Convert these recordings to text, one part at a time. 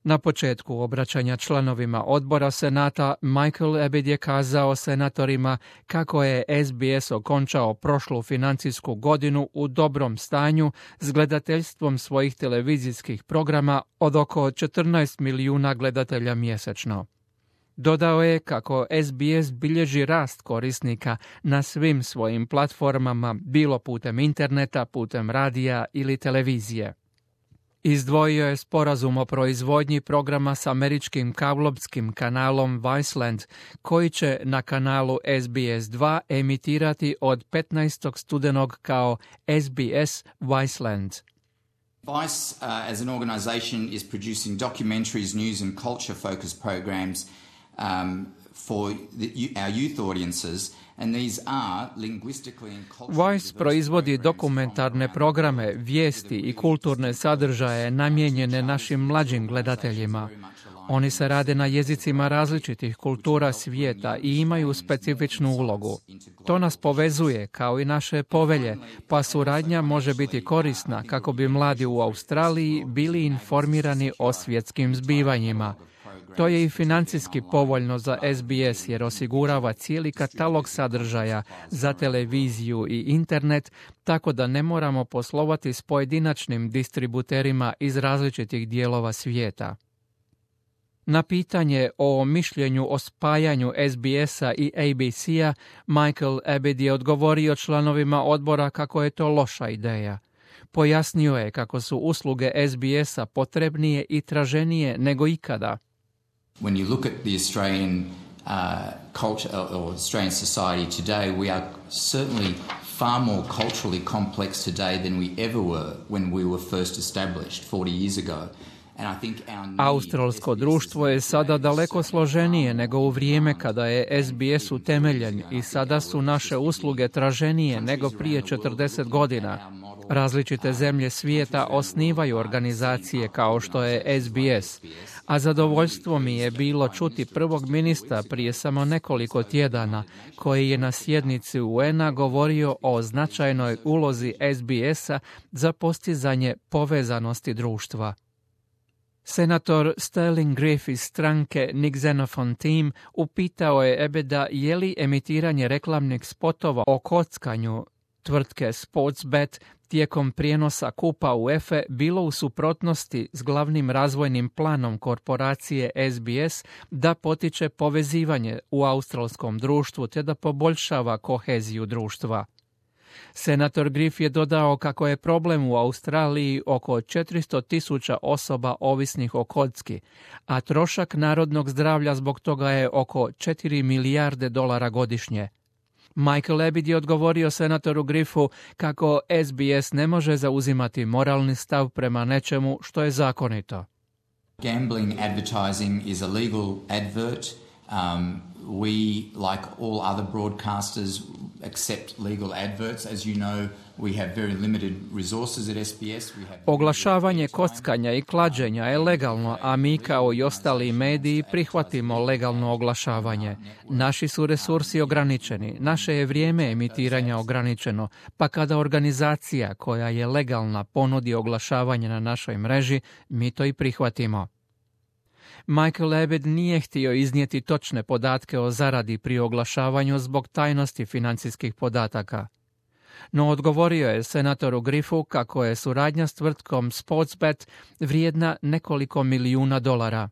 Na početku obraćanja članovima odbora Senata, Michael Abbott je kazao senatorima kako je SBS okončao prošlu financijsku godinu u dobrom stanju s gledateljstvom svojih televizijskih programa od oko 14 milijuna gledatelja mjesečno. Dodao je kako SBS bilježi rast korisnika na svim svojim platformama, bilo putem interneta, putem radija ili televizije. Izdvojio je sporazum o proizvodnji programa s američkim kablovskim kanalom Viceland, koji će na kanalu SBS 2 emitirati od 15. studenog kao SBS Viceland. Vice, as an organization, is producing documentaries, news and culture-focused programs for our youth audiences. Vice proizvodi dokumentarne programe, vijesti i kulturne sadržaje namijenjene našim mlađim gledateljima. Oni se rade na jezicima različitih kultura svijeta i imaju specifičnu ulogu. To nas povezuje kao i naše povelje, pa suradnja može biti korisna kako bi mladi u Australiji bili informirani o svjetskim zbivanjima. To je i financijski povoljno za SBS jer osigurava cijeli katalog sadržaja za televiziju i internet, tako da ne moramo poslovati s pojedinačnim distributerima iz različitih dijelova svijeta. Na pitanje o mišljenju o spajanju SBS-a i ABC-a, Michael Abbott je odgovorio članovima odbora kako je to loša ideja. Pojasnio je kako su usluge SBS-a potrebnije i traženije nego ikada. When you look at the Australian culture or Australian society today, we are certainly far more culturally complex today than we ever were when we were first established 40 years ago. Australsko društvo je sada daleko složenije nego u vrijeme kada je SBS utemeljen i sada su naše usluge traženije nego prije 40 godina. Različite zemlje svijeta osnivaju organizacije kao što je SBS, a zadovoljstvo mi je bilo čuti prvog ministra prije samo nekoliko tjedana, koji je na sjednici UN-a govorio o značajnoj ulozi SBS-a za postizanje povezanosti društva. Senator Sterling Griff iz stranke Nick Xenophon Team upitao je Abbotta je li emitiranje reklamnih spotova o kockanju tvrtke Sportsbet tijekom prijenosa kupa UEFA bilo u suprotnosti s glavnim razvojnim planom korporacije SBS da potiče povezivanje u australskom društvu te da poboljšava koheziju društva. Senator Griff je dodao kako je problem u Australiji oko 400,000 osoba ovisnih o kocki, a trošak narodnog zdravlja zbog toga je oko $4 milijarde godišnje. Michael Abbott je odgovorio senatoru Griffu kako SBS ne može zauzimati moralni stav prema nečemu što je zakonito. Gambling advertising is a legal advert. We, like all other broadcasters, accept legal adverts. As you know, we have very limited resources at SBS. Oglašavanje kockanja i klađenja je legalno, a mi kao i ostali mediji prihvatimo legalno oglašavanje. Naši su resursi ograničeni, naše je vrijeme emitiranja ograničeno, pa kada organizacija koja je legalna ponudi oglašavanje na našoj mreži, mi to i prihvatimo. Michael Abbott nije htio iznijeti točne podatke o zaradi pri oglašavanju zbog tajnosti financijskih podataka. No odgovorio je senatoru Griffu kako je suradnja s tvrtkom Sportsbet vrijedna nekoliko milijuna dolara.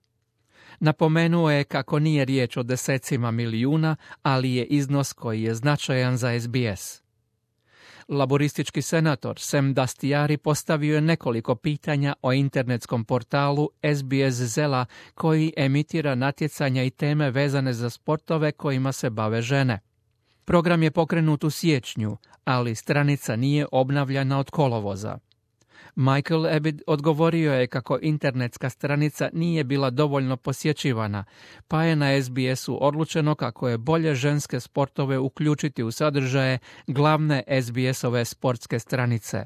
Napomenuo je kako nije riječ o desecima milijuna, ali je iznos koji je značajan za SBS. Laboristički senator Sam Dastyari postavio je nekoliko pitanja o internetskom portalu SBS Zela koji emitira natjecanja i teme vezane za sportove kojima se bave žene. Program je pokrenut u siječnju, ali stranica nije obnavljana od kolovoza. Michael Abbott odgovorio je kako internetska stranica nije bila dovoljno posjećivana, pa je na SBS-u odlučeno kako je bolje ženske sportove uključiti u sadržaje glavne SBS-ove sportske stranice.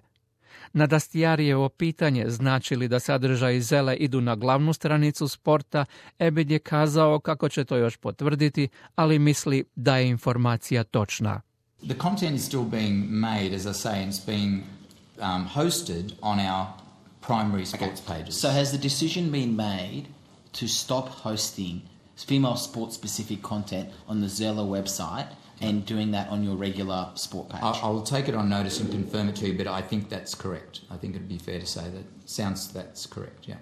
Na Dastyarijevo pitanje znači li da sadržaji Zele idu na glavnu stranicu sporta, Abbott je kazao kako će to još potvrditi, ali misli da je informacija točna. The content is still being made, as I say, and it's being hosted on our primary sports pages. So has the decision been made to stop hosting female sport-specific content on the Zella website and doing that on your regular sport page? I'll take it on notice and confirm it to you, but I think that's correct. I think it'd be fair to say that's correct, yeah.